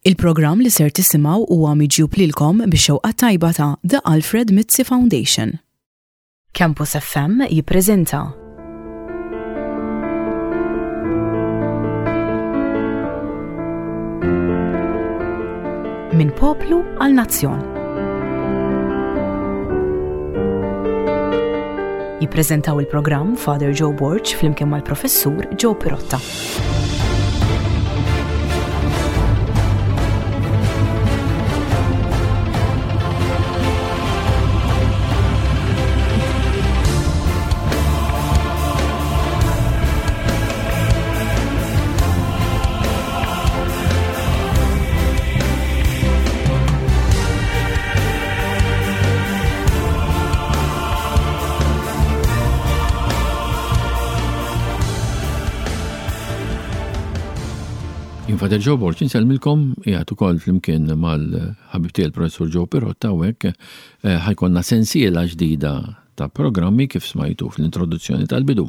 Il-programm li ser tisimgħu huwa miġjub lilkom bix-xewqa tajba ta' The Alfred Mizzi Foundation. Campus FM jippreżenta Minn poplu għal nazzjon. Jippreżentaw il-programm Father Joe Borg flimkien mal-Professur Joe Pirotta. Jien Fader Joe Borg insellmilkom qiegħed ukoll flimkien mal-ħabib tiegħi l-Professur Joe Pirotta hawnhekk eh, ħajkonna sensiela ġdida ta' programmi kif smajtu fl-introduzzjoni tal-bidu.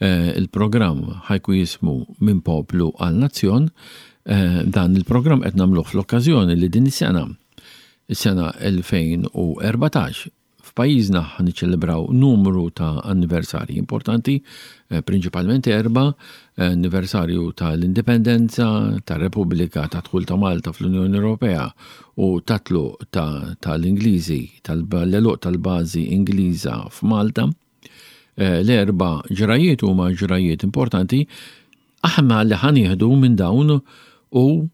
Eh, il-programm ħajku jismu Minn Poplu għal Nazzjon. Eh, dan il-programm qed nagħmluh fl-okkażjoni li din is-sena, is-sena 2014, F'pajjiżna ħa niċċelebraw numru ta' anniversarji importanti, eh, prinċipalment erba', eh, anniversarju tal-Indipendenza, tar-Repubblika, ta' dħul ta' Malta fl-Unjoni Ewropea u ta' tluq tal-Ingliżi, tal-għeluq tal-bażi Ingliża f'Malta. Eh, l-erba' ġrajiet huma ġrajiet importanti aħna li ħa nieħdu minn dawn u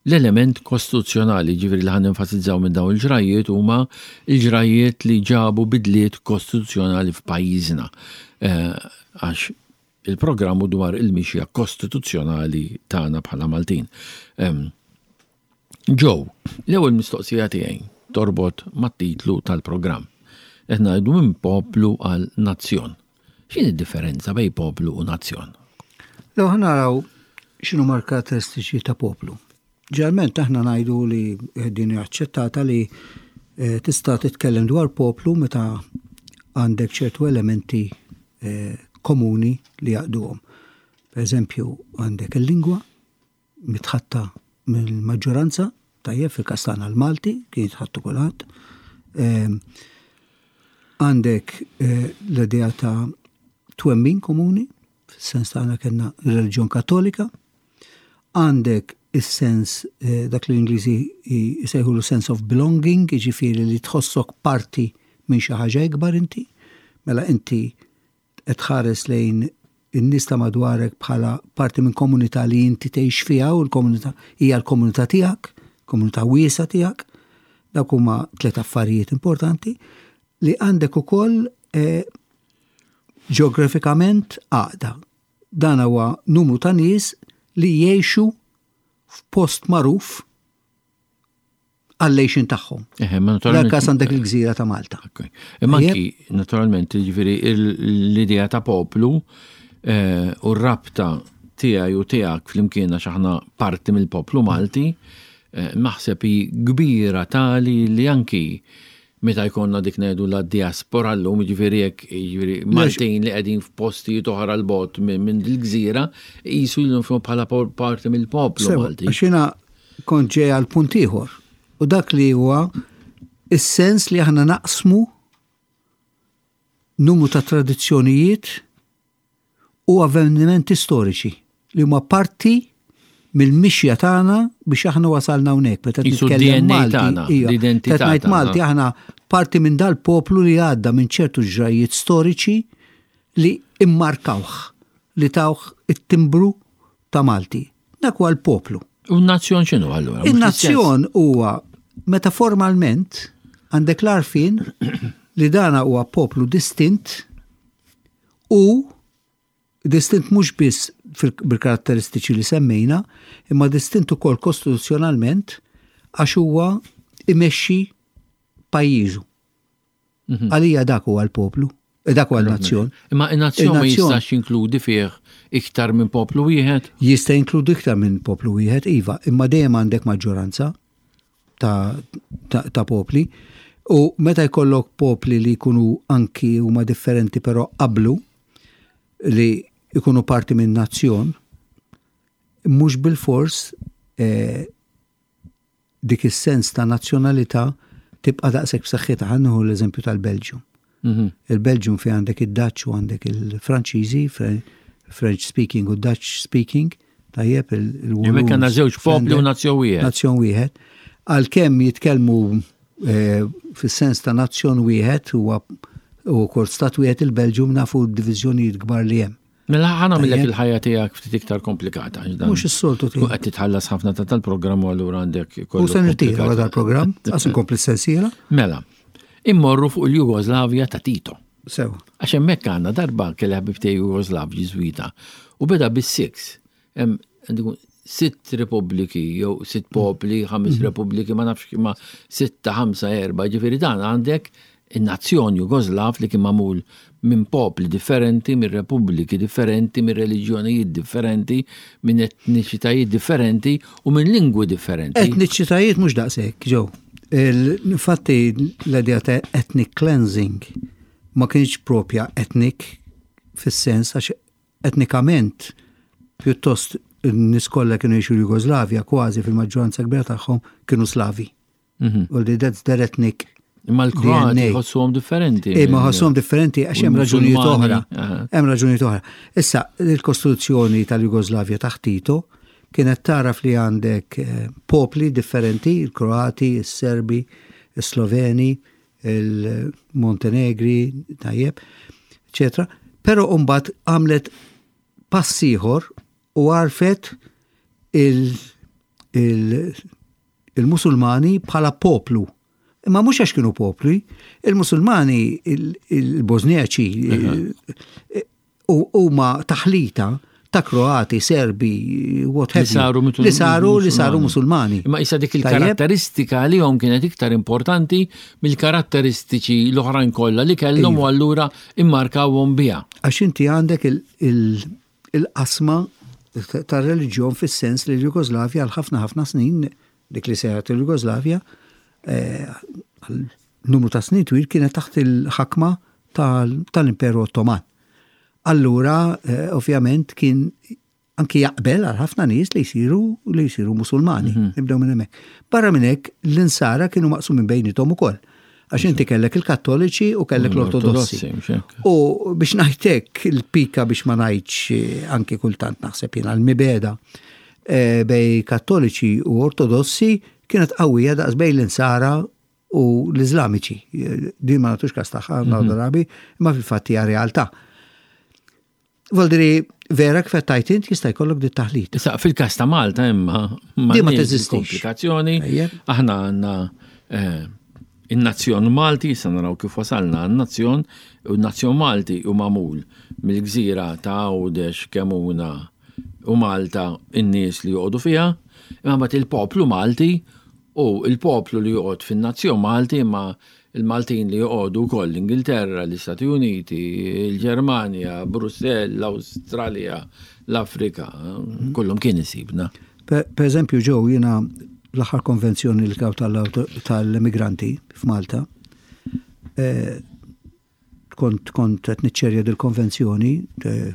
L-element kostituzzjonali, jiġifieri li ħa nenfasizzaw minn dawn il-ġrajjiet huma l-ġrajjiet li ġabu bidliet kostituzzjonali f'pajjiżna. Eh, għax il-programm hu dwar il-mixja kostituzzjonali tagħna bħala Maltin. Joe, l-ewwel mistoqsija tiegħi torbot mat-titlu tal-programm. Qed ngħidu minn poplu għal nazzjon. X'inhi d-differenza bejn poplu u nazzjon? Lew ħa naraw x'inhuma l-karatteristiċi ta' poplu. Ġeneralment aħna ngħidu li eh, din hija aċċettata li eh, tista' titkellem dwar poplu meta għandek ċertu elementi eh, komuni li jaqduhom. Per eżempju, għandek il-lingwa, mitħatta mill-maġġoranza, tajjeb fil-każ tagħna l-Malti, kien jitħattu kulħadd. Ehm, għandek eh, l-idea ta' twemmin komuni, fis-sens tagħna kellna reliġjon kattolika, għandek is-sens eh, dak li l-Ingliżi jsejħulu sense of belonging, jiġifieri li tħossok parti minn xi ħaġa ikbar inti, mela inti qed tħares lejn in-nies ta' madwarek bħala parti minn komunità li inti tgħix fiha u l-komunità hija l-komunità tiegħek, komunità wiesgħa tiegħek. Dawk huma tliet affarijiet importanti li għandek ukoll eh, ġeografikament għaqda. Dan huwa numru ta' nies li jgħixu f'post magħruf għall-għejxin tagħhom. L-każ għandek il-gżira ta' Malta. Imma anki, naturalment, ġifieri l-idea ta' poplu eh, u r-rabta tiegħi u tiegħek flimkien għax aħna parti mill-poplu Malti, eh, naħseb hi kbira tali li anki meta jkollna dik ngħidu la diaspora llum, jiġifieri jekk jiġifieri Maltin li qegħdin f'postijiet oħra 'l bogħod minn dil-gżira, jqisu lilhom infushom bħala parti mill-poplu Malti. Għax jiena kont ġej għal punt ieħor u dak li huwa is-sens li aħna naqsmu numru ta' tradizzjonijiet u avvenimenti storiċi li huma parti mill-mixja tagħna biex aħna wasalna hawnhekk. Meta nitkellem Malti, l-identità. Meta ngħid Malti aħna parti minn dal-poplu li għadda minn ċertu ġrajiet storiċi li immarkawh, li tawh it-timbru ta' Malti. Dak huwa l-poplu. U n-nazzjon x'inhu allura? In-nazzjon huwa meta formalment għandek l-għarfien li dana huwa poplu distint u distint mhux biss bil-karatteristiċi li semmejna, imma distint ukoll kostituzzjonalment għax huwa imexxi pajjiżu. Mhm. Għalija dak huwa l-poplu, eh, dak huwa l-nazzjon. Imma n-nazzjon ma jistax jinkludi fih iktar minn poplu wieħed? Jista' jinkludi iktar minn poplu wieħed, iva, imma dejjem għandek maġġoranza ta', ta, ta popli. U meta jkollok popli li jkunu anki huma differenti però qablu li jkunu parti minn nazzjon, mhux bil-fors eh, dik is-sens ta' nazzjonalità tibqa' daqshekk b'saħħitha. Ħa nieħu l-eżempju tal-Belġju. Mhm. Il-Belġium fi għandek id-Dutch u għandek il-Franċiżi, French speaking u Dutch speaking, tajjeb il-Walloons. Hemmhekk għandna żewġ popli u nazzjon wieħed. Nazzjon wieħed. Għalkemm jitkellmu eh, fis-sens ta' nazzjon wieħed huwa u kort stat wieħed il-Belġium nafu d-diviżjonijiet kbar li hemm. Mela ħa nagħmillek il-ħajja tiegħek ftit iktar komplikata. Mhux is-soltu tiegħek. Qed titħallas ħafna ta' tal-programm u allura għandek kollu. U se nirtira wara dal-programm, għas inkompli s-sensiela. Mela, immorru fuq il-Jugoslavja ta' Tito. Sew. Għax hemmhekk għandna darba kelli ħabib tiegħi Jugoslav Ġiżwita u beda bis-six. Sitt repubbliki jew sitt popli, ħames mhm. repubbliki, ma nafx ma sitta, ħamsa, erba, ġifieri dan għandek in-nazzjon Jugoslav li kien magħmul minn popli differenti, minn repubbliki differenti, minn reliġjonijiet differenti, minn etniċitajiet differenti u minn lingwi differenti. Etniċitajiet mhux daqshekk, ġew. Infatti l-idea ta' ethnic cleansing ma kienx propja ethnic fis-sens għax Etnikament, pjuttost in-nies kollha kienu jgħixu l-Jugoslavja kważi fil-maġġoranza kbira tagħhom kienu Slavi. Mhm. U li that's their ethnic Imma l-Kroati ħossuhom differenti. Imma ħossuhom differenti għax hemm raġunijiet oħra. Hemm raġunijiet oħra. Issa, il-Kostituzzjoni tal-Jugoslavja taħt Tito kienet taraf li għandek eh, popli differenti, il-Kroati, il-Serbi, il-Sloveni, il-Montenegri, tajjeb, eccetera. Però mbagħad għamlet pass ieħor u għarfet il-Musulmani bħala poplu. Imma mhux għax kienu popli, il-Musulmani, il-Bosniaċi, huma taħlita ta' Kroati, Serbi, what have you. Li saru li saru Musulmani. Imma issa dik il-karatteristika għalihom kienet iktar importanti mill-karatteristiċi l-oħrajn kollha li kellhom u allura immarkawhom biha. Għax inti għandek il-qasma tar-reliġjon fis-sens li l-Jugoslavja għal ħafna ħafna snin dik li seħet il-Jugoslavja eh, għal numru ta' snin twil kienet taħt il-ħakma tal-Imperu Ottoman. Allura, eh, ovvjament, kien anki jaqbel għal ħafna nies li jsiru li jsiru Musulmani. Mhm. Nibdew minn hemmhekk. Barra minn hekk l-insara kienu maqsumin bejnietom ukoll. Għax inti kellek il-Kattoliċi u kellek l-Ortodossi. U biex ngħidlek il-pika biex ma ngħidx eh, anki kultant naħseb jiena l-mibeda eh, bej Kattoliċi u Ortodossi kienet qawwija daqs bejn l-insara u l-Iżlamiċi. Din ma nagħtux każ tagħha mhm. drabi, imma fil-fatt hija realtà. Voldiri, vera kif qed int jista' jkollok dit taħlit. Issa fil-każ ta' Malta imma ma ma teżistix. Komplikazzjoni. Aħna għandna eh, in-nazzjon Malti, issa naraw kif wasalna għan-nazzjon, u n-nazzjon Malti u magħmul mill-gżira ta' Għawdex, Kemuna u Malta in-nies li joqogħdu fiha, imma mbagħad il-poplu Malti u l-poplu li joqgħod fin-nazzjon Malti imma l-Maltin li joqogħdu wkoll l-Ingilterra, l-Istati Uniti, il-Ġermanja, Brussell, l-Awstralja, l-Afrika, kullum kien isibna. Per eżempju, ġew jiena l-aħħar konvenzjoni li kaw tal-immigranti f'Malta, eh, kont kont qed niċċerja dil-konvenzjoni, eh,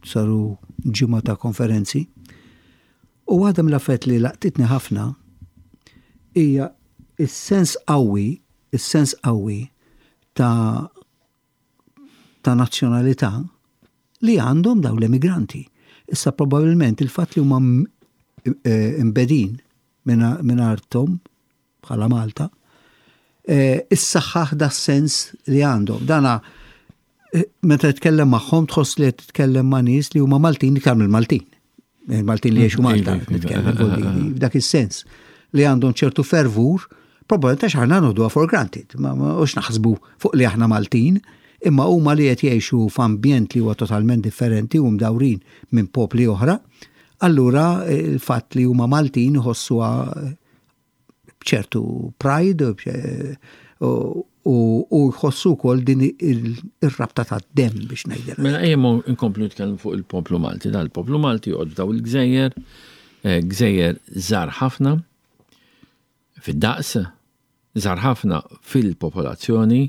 saru ġimgħa ta' konferenzi. U waħda mill-affarijiet li laqtitni ħafna hija is-sens qawwi, is-sens qawwi ta' ta' nazzjonalità li għandhom dawn l-emigranti. Issa probabbilment il-fatt li huma eh, imbedin minn arthom bħala Malta, eh, issaħħaħ da sens li għandhom. Dana eh, meta titkellem magħhom tħoss li qed titkellem ma' nies li huma Maltin iktar mill-Maltin. Il-Maltin li jgħixu Malta, iva, iva, nitkellem iva, f'dak is-sens li għandhom ċertu fervur, probabbilment għax aħna noħduha for granted, ma hux naħsbu fuq li aħna Maltin, imma huma li qed jgħixu f'ambjent li huwa totalment differenti u mdawrin minn popli oħra, allura il-fatt li huma Maltin iħossuha b'ċertu pride u jħossu wkoll din ir-rabta tad-demm biex ngħidilha. Mela ejja nkomplu nitkellmu fuq il-poplu Malti. Dan il-poplu Malti joqgħod f'daw il-gżejjer, eh, gżejjer żgħar ħafna fid-daqs, żgħar ħafna fil-popolazzjoni,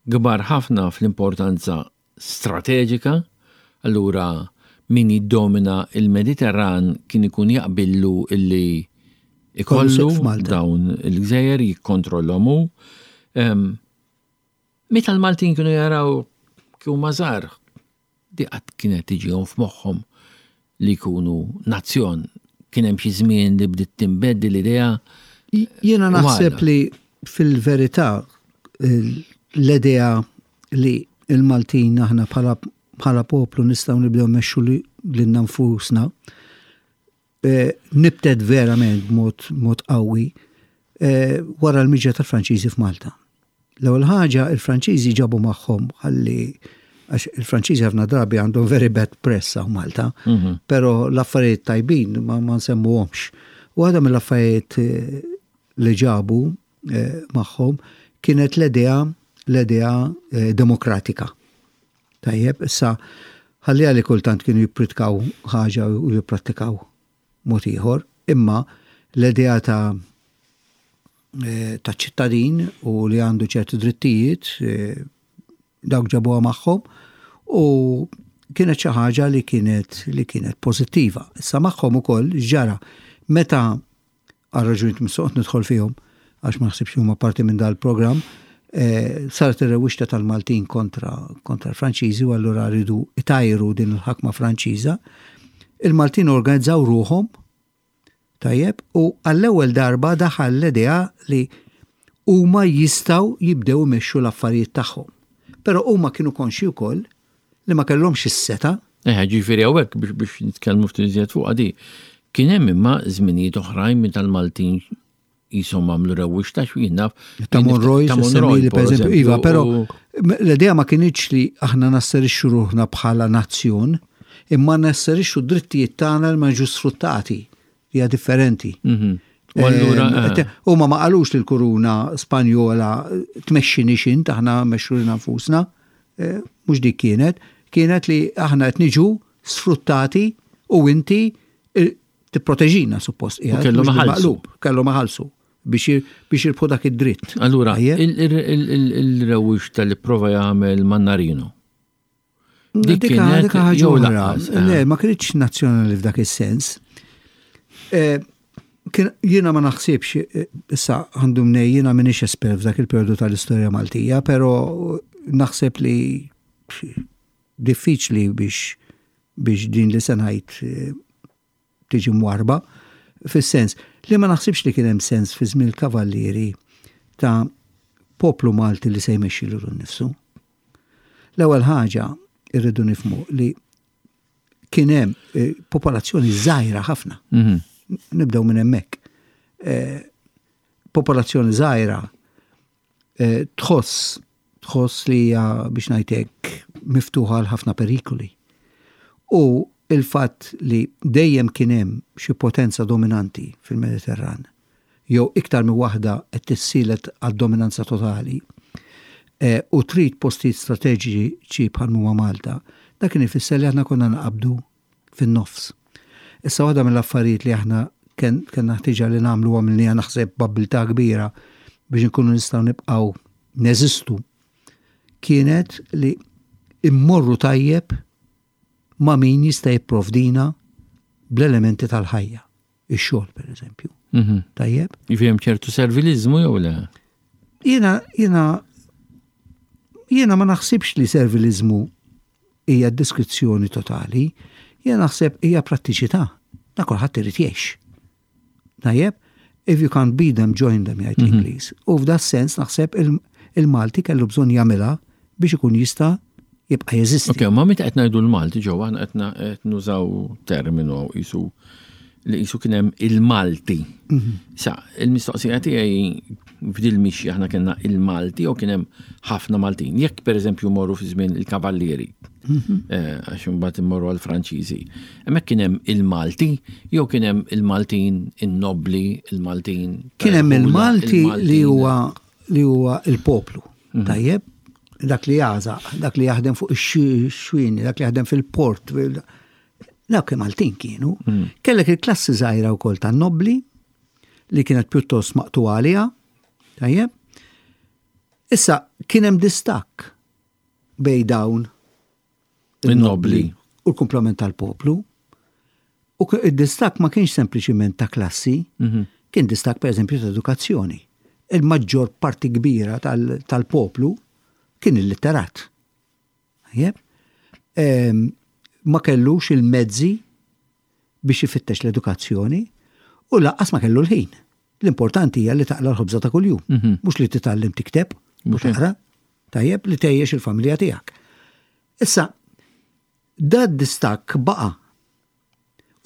kbar ħafna fl-importanza strateġika, allura min jiddomina il-Mediterran kien ikun jaqbillu illi Ikollu dawn il-gżejjer jikkontrollhom hu. Meta l-Maltin kienu jaraw kif huma żgħar, di qatt kienet tiġihom f'moħħhom li jkunu nazzjon. Kien hemm xi żmien li bdiet tinbed l-idea. Jiena naħseb li fil-verità l-idea li l-Maltin aħna bħala poplu nistgħu nibdew mmexxu lilna nfusna nibtet verament b'mod mod qawwi wara l-miġja tal-Franċiżi f'Malta. L-ewwel ħaġa il-Franċiżi ġabu magħhom ħalli għax il-Franċiżi ħafna drabi għandhom very bad press hawn Malta, mhm. però l-affarijiet tajbin ma, ma nsemmuhomx. Waħda mill-affarijiet eh, li ġabu eh, magħhom kienet l-idea l-idea eh, demokratika. Tajjeb, issa ħalliha li kultant kienu jippritkaw ħaġa u jipprattikaw mod ieħor, imma l-idea ta' eh, ta' ċittadin u li għandu ċertu drittijiet, eh, dawk ġabuha magħhom u kienet xi ħaġa li kienet li kienet pożittiva. Issa magħhom ukoll ġara meta għal raġunijiet mhux soqgħod nidħol fihom għax ma naħsibx li huma parti minn dal-programm, eh, saret ir-rewwixta tal-Maltin kontra kontra l-Franċiżi u allura rridu itajru din il-ħakma Franċiża. Il-Maltin organizzaw ruħhom tajjeb u għall-ewwel darba daħal l-idea li huma jistgħu jibdew imexxu l-affarijiet tagħhom. Però huma kienu konxi wkoll li ma kellhomx is-setgħa. Eħe, ġifieri hawnhekk biex biex nitkellmu ftit iżjed fuqha di. Kien hemm imma żminijiet oħrajn meta l-Maltin qishom għamlu rewwixta x'jien naf. Ta' Monroy, ta' Monroy, per eżempju, iva, però l-idea ma kinitx li aħna nasserixxu ruħna bħala nazzjon, imma nasserixxu d-drittijiet tagħna li ma jiġux sfruttati. Hija differenti. Mhm. U allura eh, eh. Huma ma qalux li l-kuruna Spanjola tmexxinix int aħna mexxu lilna nfusna. Eh, mhux dik kienet, kienet li aħna qed niġu sfruttati u inti tipproteġina suppost. Kellhom iħallsu. Kellhom iħallsu biex jirbħu dak id-dritt. Allura, il-rewwix tal-prova jagħmel Mannarino. Dik kienet ħaġa oħra. Eh. Le, ma kienx nazzjonali f'dak is-sens. Eh, jiena ma naħsibx, eh, issa għandu mnej, jiena minix espert f'dak il-periodu tal-istorja Maltija, pero naħseb li diffiċli biex biex din li senajt tiġi mwarrba, fis-sens li ma naħsibx li kien hemm sens fi żmien il-Kavallieri ta' poplu Malti li se jmexxi lilu nnifsu. L-ewwel ħaġa irridu nifhmu li kien hemm eh, popolazzjoni żgħira ħafna. Mhm. Nibdew minn hemmhekk. Eh, popolazzjoni żgħira eh, tħoss tħoss li hija biex ngħidlek miftuħa għal ħafna perikoli. U il-fatt li dejjem kien hemm xi potenza dominanti fil-Mediterran, jew iktar minn waħda qed tissielet għad-dominanza totali, eh, u trid postijiet strateġiċi bħal huma Malta, dak kien ifisser li aħna konna naqabdu fin-nofs. Issa waħda mill-affarijiet li aħna kellna ħtiġa li nagħmlu għamilniha naħseb b'abbiltà kbira biex inkunu nistgħu nibqgħu neżistu kienet li immorru tajjeb ma' min jista' jipprovdina bl-elementi tal-ħajja, ix-xogħol pereżempju. Mhm. Tajjeb? Jiġifieri hemm ċertu servilizmu jew le? Jiena jiena jiena ma naħsibx li servilizmu hija deskrizzjoni totali, jiena naħseb hija prattiċità. Da kulħadd irid jgħix. Tajjeb, if you can't beat them, join them, jgħid mhm. l-Ingliż. U f'da sens naħseb il-Malti kellu bżonn jagħmilha biex ikun jista' jibqa' jeżisti. Ok, ma meta qed ngħidu l-Malti ġewwa aħna qed nużaw terminu qisu li qisu kien hemm il-Malti. Mhm. Sa, il-mistoqsija tiegħi f'dil mixja aħna kellna il-Malti u kien hemm ħafna Maltin. Jekk pereżempju morru fi żmien il-Kavallieri, mhm. eh, għax imbagħad immorru għall-Franċiżi, hemmhekk kien hemm il-Malti jew kien hemm il-Maltin in-nobbli, il-Maltin. Kien hemm il-Malti li huwa li huwa il-poplu. Mhm. Tajjeb, dak li jażaq, dak li jaħdem fuq ix-xwini, dak li jaħdem fil-port, Dawk Maltin kienu. Mm. Kellek il-klassi żgħira wkoll tan-nobbli li kienet pjuttost maqtuha għaliha. Tajjeb. Issa kien hemm distakk bej dawn in-nobbli u l-kumplament tal-poplu. U id-distakk ma kienx sempliċiment ta' klassi, mhm. Kien distakk pereżempju ta' edukazzjoni. Il-maġġor parti kbira tal-poplu kien illitterat. Tajjeb? Ma kellux il-mezzi biex ifittex l-edukazzjoni u lanqas ma kellu l-ħin. L-importanti hija li taqla' l-ħobża ta' kuljum, mhm. mhux li titgħallem tikteb u taqra, tajjeb li tgħejjex il-familja tiegħek. Issa, da distakk baqa'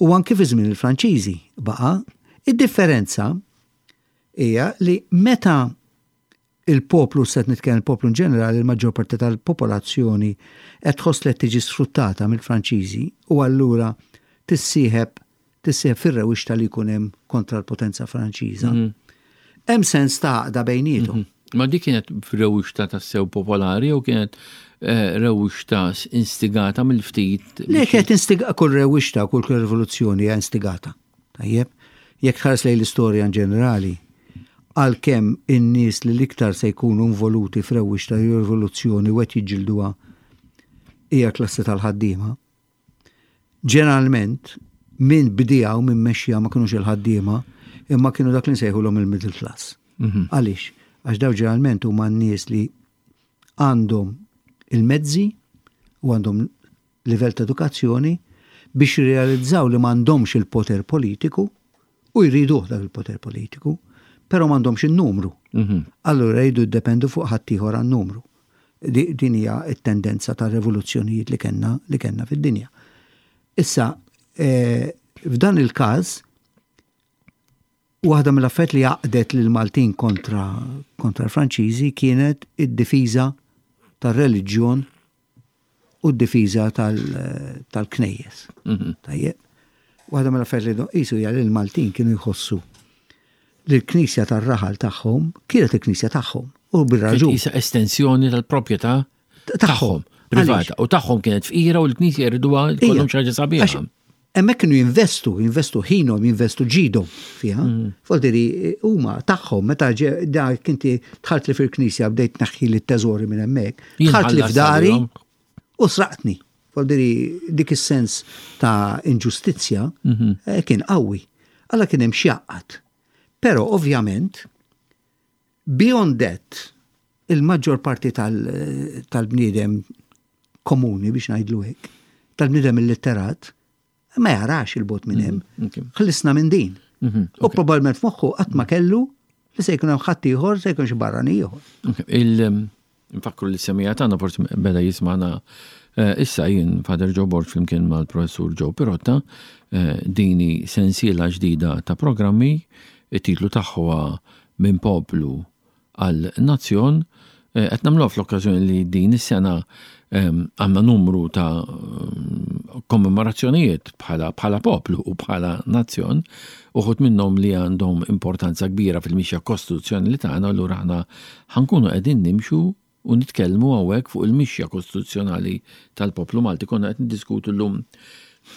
u anki fi żmien il-Franċiżi baqa' id-differenza hija li meta il-poplu, se nitkellem il-poplu in ġenerali, il-maġġor parti tal-popolazzjoni qed tħoss li qed tiġi sfruttata mill-Franċiżi u allura tissieħeb tissieħeb fir-rewwixta li jkun hemm kontra l-potenza Franċiża. Mhm. Hemm sens ta' għaqda bejniethom. Mhm. Ma dik kienet rewwixta tassew popolari jew kienet eh, rewwixta instigata mill-ftit? Le kienet instigata kull rewwixta, kull rivoluzzjoni hija instigata. Tajjeb, jekk tħares lejn l-istorja in ġenerali, għalkemm in-nies li l-iktar se jkunu involuti f'rewwixta jew rivoluzzjoni u qed jiġġilduha hija l-klassi tal-ħaddiema, ġeneralment min bdieha u min mexxiha ma kinux il-ħaddiema imma kienu dak li nsejħulhom il-middle class. Mhm. Għaliex? Għax daw ġeneralment huma n-nies li għandhom il-mezzi u għandhom livell ta' edukazzjoni biex jirrealizzaw li m'għandhomx il-poter politiku u jriduh dak il-poter politiku, però m'għandhomx in-numru. Mhm. Allura jridu jiddependu fuq ħaddieħor għan-numru. Din hija t-tendenza ta' rivoluzzjonijiet li kellna li kellna fid-dinja. Issa, eh, f'dan il-każ, waħda mill-affarijiet li għaqdet lill-Maltin kontra kontra l-Franċiżi kienet id-difiża tar-reliġjon u d-difiża tal-knejjes. Mhm. Tajjeb. Waħda mill-affarijiet li qisu hija li l-Maltin kienu jħossu li l-knisja tar-raħal tagħhom kienet il-knisja tagħhom u bir-raġun. Isa estensjoni tal-proprjetà tagħhom privata u tagħhom kienet fqira u l-knisja jriduha jkollhom xi ħaġa sabiħa. Hemmhekk kienu jinvestu, jinvestu ħinhom, jinvestu ġidhom fiha. Mm. Voldiri huma tagħhom meta dak inti dħalt li fil-knisja bdejt tneħħi li t-teżori minn hemmhekk, dħalt li f'dari u sraqtni. Voldiri dik is-sens ta' inġustizzja mhm. eh, kien qawwi. Alla kien hemm x'jaqgħad. Però ovvjament beyond that il-maġġor parti tal-bniedem komuni biex ngħidlu hekk, tal-bniedem illitterat, ma jarax il-bot minn hemm. Mhm, Ħlisna minn din. Mhm, U probabbilment f'moħħu qatt ma kellu li se jkun hemm ħadd ieħor se jkun xi barrani ieħor. Nfakru li semija tagħna forsi beda jismana eh, issa jien Father Joe Borg flimkien mal-Professur Joe Pirotta eh, dini sensiela ġdida ta' programmi it-titlu tagħha minn poplu għal nazzjon qed nagħmluha fl-okkażjoni li din is-sena għandna numru ta' kommemorazzjonijiet bħala bħala poplu u bħala nazzjon, uħud minnhom li għandhom importanza kbira fil-mixja kostituzzjonali tagħna, allura aħna ħankunu qegħdin nimxu u nitkellmu hawnhekk fuq il-mixja kostituzzjonali tal-poplu Malti. Konna qed niddiskutu llum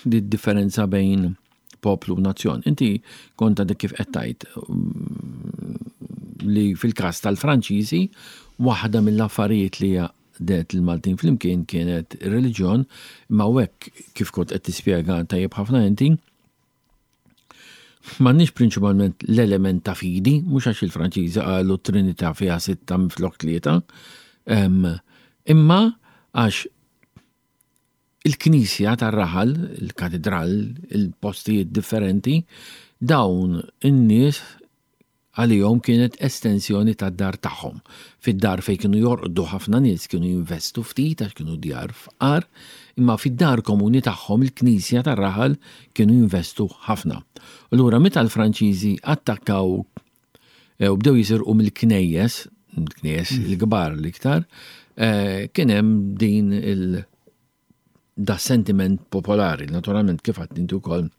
di differenza bejn poplu u nazzjon. Inti kont għadek kif qed tgħid mm, li fil-każ tal-Franċiżi waħda mill-affarijiet li għaqdet il-Maltin flimkien kienet ir-reliġjon, imma hekk kif kont qed tispjega tajjeb ħafna inti, M'għandniex prinċipalment l-element ta' fidi, mhux għax il-Franċiżi qalu Trinità fiha sitta minflok tlieta, imma għax il-knisja tar-raħal, il-katidral, il-postijiet differenti, dawn in-nies għalihom kienet estensjoni tad-dar tagħhom. Fid-dar fejn kienu jorqdu ħafna nies kienu jinvestu ftit għax kienu djar fqar, imma fid-dar komuni tagħhom il-knisja tar-raħal kienu jinvestu ħafna. Allura meta l-Franċiżi attakkaw eh, u bdew jisirqu mill-knejjes, knejjes mm. il-kbar l-iktar, eh, kien hemm din il- da sentiment popolari, naturalment kif għadt inti wkoll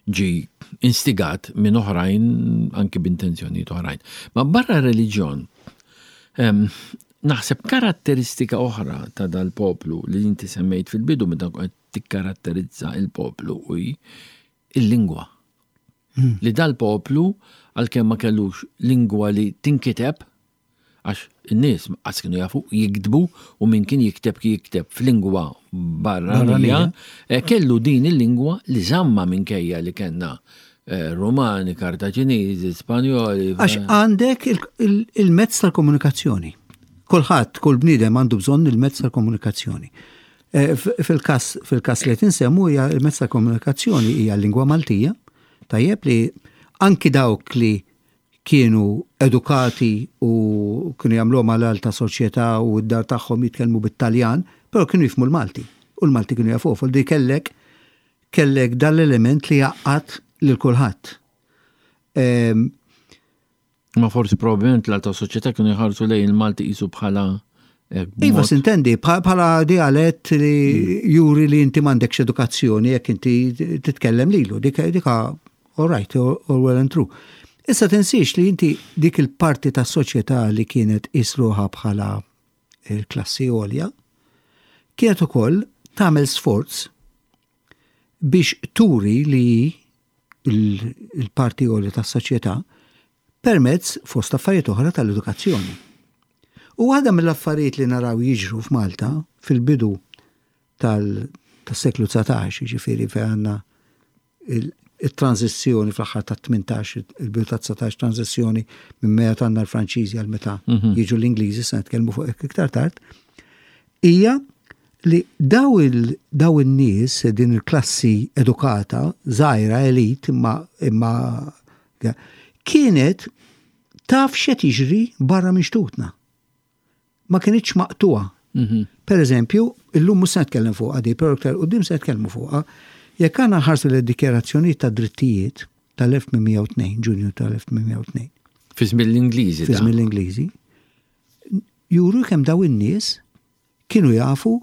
ġi instigat minn oħrajn anki b'intenzjonijiet oħrajn. Ma barra reliġjon, naħseb karatteristika oħra ta' dal-poplu li inti semmejt fil-bidu meta qed tikkaratterizza il-poplu u il-lingwa. Hmm. Li dal-poplu għalkemm ma kellux lingwa li tinkiteb, Għax in-nies qas kienu jafu jiktbu u min kien jikteb kien jikteb f'lingwa barranija, eh, kellu din il-lingwa li żamma minkejja li kellna. Rumani, Kartaġiniżi, Spanjoli. Għax għandek il-mezz tal-komunikazzjoni. Kulħadd, kull bniedem għandu bżonn il-mezz tal-komunikazzjoni. Eh, fil-kas fil-kas li qed insemmu hija il-mezz tal-komunikazzjoni hija l-lingwa Maltija, tajjeb li anki dawk li kienu edukati u kienu jagħmluhom għal alta soċjetà u d-dar tagħhom jitkellmu bit-Taljan, però kienu jifhmu l-Malti. U l-Malti kienu jafuh, fuq kellek kellek dan l-element li jgħaqqad lil kulħadd. Ehm, Ma forsi probabbilment l-alta soċjetà kienu jħarsu lejn il-Malti qisu bħala eh, Iva, sintendi, bħala dialett li hmm. juri li inti m'għandekx edukazzjoni jekk inti titkellem lilu, dika dika all right, all well and true. Issa tinsiex li inti dik il-parti tas soċjetà li kienet isruħa bħala il-klassi għolja, kienet ukoll tagħmel sforz biex turi li l-parti għolja tas-soċjetà permezz fost affarijiet oħra tal-edukazzjoni. U waħda mill-affarijiet li naraw jiġru f'Malta fil-bidu tal-seklu 19, jiġifieri fejn għandna it-tranżizzjoni fl-aħħar tat-18, il-bidu tat-19 tranżizzjoni minn meta għandna l-Franċiżi għal meta mhm. jiġu l-Ingliżi, se nitkellmu fuq hekk iktar tard, hija li daw daw in-nies din il-klassi edukata, żgħira elit imma imma kienet taf x'qed jiġri barra minn xtutna. ma kinitx maqtugħa. Mhm. Per eżempju, illum mhux se nitkellem fuqha di, però iktar quddiem se nitkellmu fuqha. Jekk għandna nħarsu lejn dikjarazzjonijiet ta' drittijiet tal-1802, Ġunju tal-1802. Fi żmien l-Ingliżi. Fi żmien l-Ingliżi. Juru kemm daw in-nies kienu jafu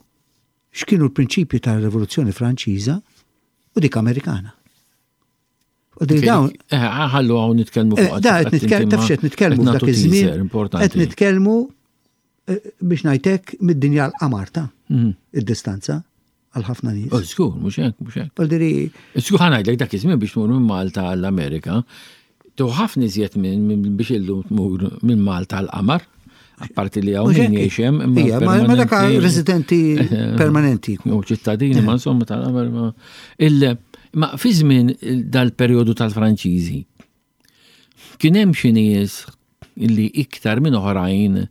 x'kienu l-prinċipji tar-Rivoluzzjoni Franċiża u dik Amerikana. U dawn. Eh, ħallu hawn nitkellmu eh, fuq. Da qed nitkellmu taf x'qed nitkellmu f'dak iż-żmien. Qed nitkellmu eh, biex ngħidlek mid-dinja l-qamar ta' mhm. id-distanza għal ħafna nies. Oh, żgur, mhux hekk, mhux hekk. Diri. Żgur ħa ngħidlek dak iż-żmien biex tmur minn Malta għall-Amerika, tu ħafna iżjed minn biex illum tmur minn Malta għall-qamar. Apparti li hawn min jgħix hemm. Ija, ma dak residenti permanenti. U ċittadini, ma insomma tal-qamar. Ma fi żmien dal-perjodu tal-Franċiżi, kien hemm xi nies li iktar minn oħrajn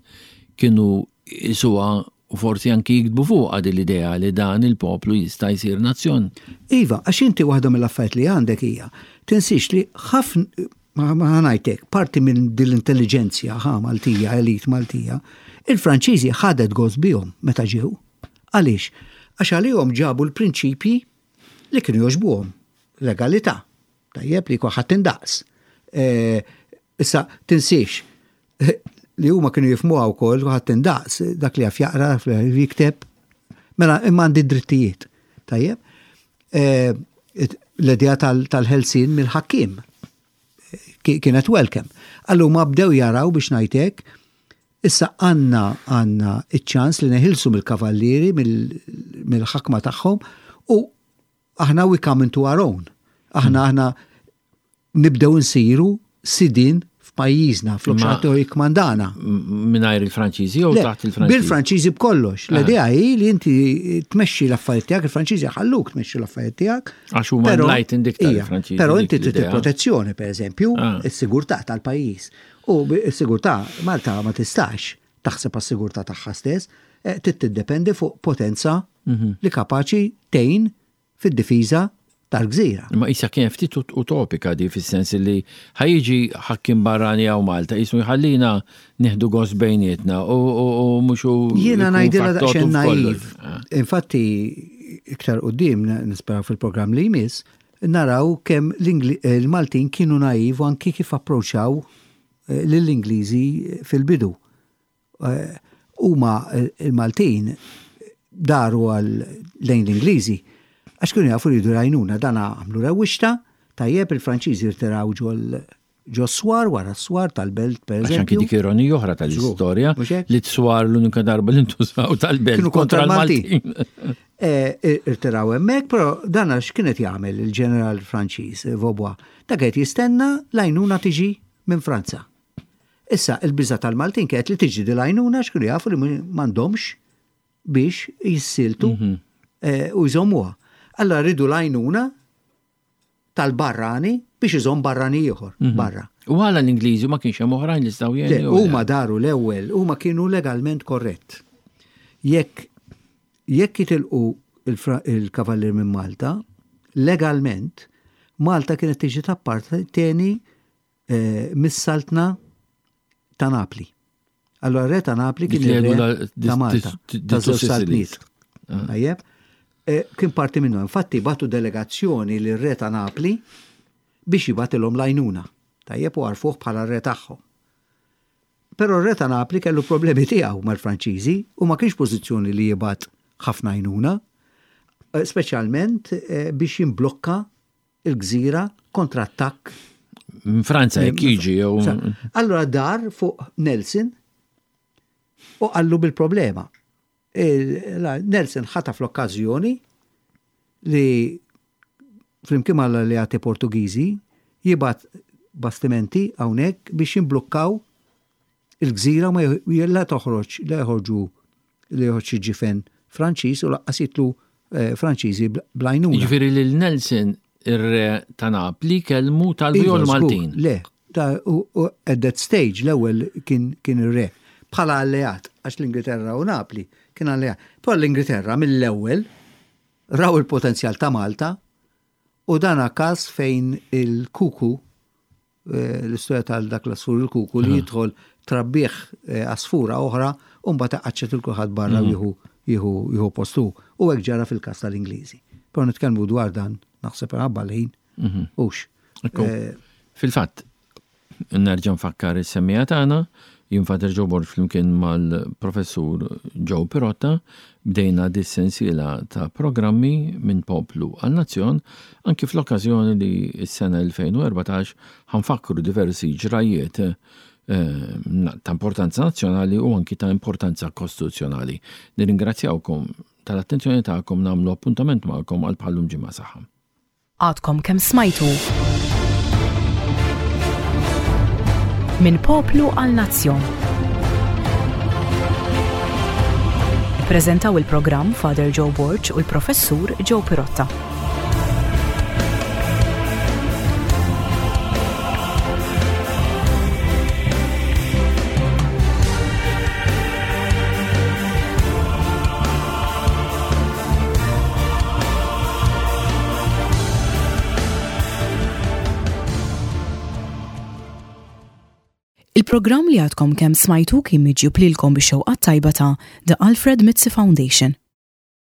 kienu jisuha u forsi anki jiktbu fuqha din l-idea li dan il-poplu jista' jsir nazzjon. Iva, għax inti waħda mill-affarijiet li għandek hija, tinsiex li ħafna, ma ngħidlek, parti minn din l-intelliġenzja ħa Maltija, elit Maltija, il-Franċiżi ħadet gost bihom meta ġew. Għaliex? Għax għalihom ġabu l-prinċipji li kienu jogħġbuhom. Legalità. Tajjeb li kulħadd indaqs. E, issa tinsiex li huma kienu jifmuha wkoll kulħadd indaqs dak li jaf jaqra, jikteb. Mela imma għandi drittijiet. Tajjeb. E, l-idea tal-ħelsin mill-ħakkiem kienet welcome. Allura bdew jaraw biex ngħidlek Issa għandna għandna ċ-ċans li neħilsu mill-kavallieri, mill-ħakma tagħhom u aħna we come into our own. Aħna hmm. aħna nibdew nsiru sidin f'pajjiżna, flok xi jikmandana. Mingħajr il-Franċiżi jew taħt il-Franċiżi? Bil-Franċiżi b'kollox. Ah. L-idea hi li inti tmexxi l-affarijiet tiegħek, il-Franċiżi ħalluk tmexxi l-affarijiet tiegħek. Għax huma enlightened iktar il-Franċiżi. Però inti trid il-protezzjoni, pereżempju, ah. is-sigurtà tal-pajjiż. U s-sigurtà, Malta ma tistax taħseb għas-sigurtà tagħha stess, eh, trid tiddependi fuq potenza mhm. li kapaċi tgħin fid-difiża tal-gżira. Ma isa kien ftit utopika di fis-sens li ħajġi ħakkim barrani għaw Malta, jisu jħallina nieħdu gost bejnietna u mhux u. Jiena ngħidilha daqsxejn naiv. Ah. Infatti iktar qudiem nispera fil-programm li jmiss, naraw kemm l-Maltin kienu naiv u anki kif approċċaw eh, lill-Ingliżi fil-bidu. Eh, huma il-Maltin daru għal lejn l-Ingliżi għax kienu jafu li jridu jgħinuna dan għamlu rewwixta tajjeb il-Franċiżi rtiraw ġol ġo swar wara s-swar tal-belt per eżempju. Anki dik ironija oħra tal-istorja li t-swar l-unika darba li ntużaw tal-belt kontra l-Maltin. Eh, eh, irtiraw hemmhekk, però dan għax kienet jagħmel il-ġeneral Franċiż eh, Vaubois. Dak qed jistenna l-għajnuna tiġi minn Franza. Issa il-biża tal-Maltin kienet li tiġi di l-għajnuna x'kienu jafu li m'għandhomx biex jissiltu mhm. u jżommuha. Allora ridu l-għajnuna. tal-barrani biex iżomm barrani ieħor mhm. barra. U għala l-Ingliżi ma kienx hemm oħrajn li staw jgħinu. Huma daru l-ewwel, huma kienu legalment korrett. Jekk jekk jitilqu il-kavallier minn Malta, legalment Malta kienet tiġi tapparteni eh, mis-saltna ta' Napli. Allora re ta' Napli kien ir-re ta' Malta, ta' żewġ saltniet. Ah. Tajjeb? Eh, kien parti minnu. Infatti batu delegazzjoni lir re ta' Napli biex jibatilhom lajnuna. Tajjeb u għarfuh bħala re tagħhom. Però r-re ta' Napli kellu problemi tiegħu mal-Franċiżi u ma kienx pożizzjoni li jibgħat ħafna għajnuna, eh, speċjalment eh, biex jimblokka il-gżira kontra attakk. Minn Franza jekk jiġi jew. Allura dar fuq Nelson u qallu bil-problema. Nelson ħataf l-okkażjoni li flimkien mal-alleati Portugiżi jibgħat bastimenti hawnhekk biex jimblukkaw il-gżira ma la toħroġ la joħorġu li joħroġ xi ġifen Franċiż u laqqas jitlu eh, Franċiżi blajnuna. Jiġifieri lil Nelson ir-re ta' Napli kellmu talbu jew iva, l-Maltin. Le, ta' at that stage l-ewwel kien kien ir-re bħala alleat għax l-Ingilterra u Napli kien alleat. Però l-Ingilterra mill-ewwel raw il-potenzjal ta' Malta u dana każ fejn il-kuku eh, l-istorja tal dak l-asfur il-kuku li jidħol trabbih eh, asfura oħra u mbagħad iqaċċet il kulħadd barra u mhm. jieħu jieħu jieħu postu. U hekk ġara fil-każ tal-Ingliżi. Però nitkellmu dwar dan naħseb ħabba l-ħin. Mhm. Hux. Eh, fil-fatt, Nerġa' nfakkar is-semmiegħa tagħna, jien Father Joe Borg flimkien mal-Professur Joe Pirotta bdejna dis-sensiela ta' programmi minn poplu għal nazzjon anki fl-okkażjoni li s-sena 2014 ħa nfakkru diversi ġrajjiet eh, ta' importanza nazzjonali u anki ta' importanza kostituzzjonali. Nirringrazzjawkom tal-attenzjoni tagħkom nagħmlu appuntament magħkom għal bħallum ġimgħa saħħa. Għadkom kemm smajtu Minn poplu għal nazzjon. Ippreżentaw il-programm Father Joe Borg u l-Professur Joe Pirotta. Il-programm li għadkom kemm smajtu kien miġjub lilkom bix-xewqat tajba ta' The Alfred Mizzi Foundation.